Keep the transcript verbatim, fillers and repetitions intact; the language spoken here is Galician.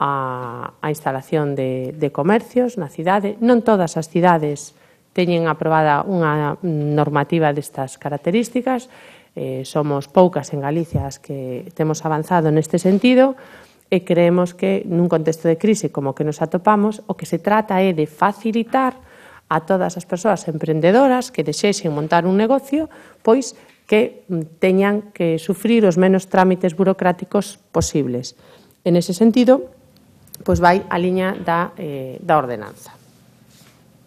a, a instalación de, de comercios na cidade. Non todas as cidades teñen aprobada unha normativa destas características, eh, somos poucas en Galicia as que temos avanzado neste sentido, e creemos que nun contexto de crise como que nos atopamos, o que se trata é de facilitar a todas as persoas emprendedoras que desexen montar un negocio, pois que teñan que sufrir os menos trámites burocráticos posibles. En ese sentido, pois vai a liña da, eh, da ordenanza.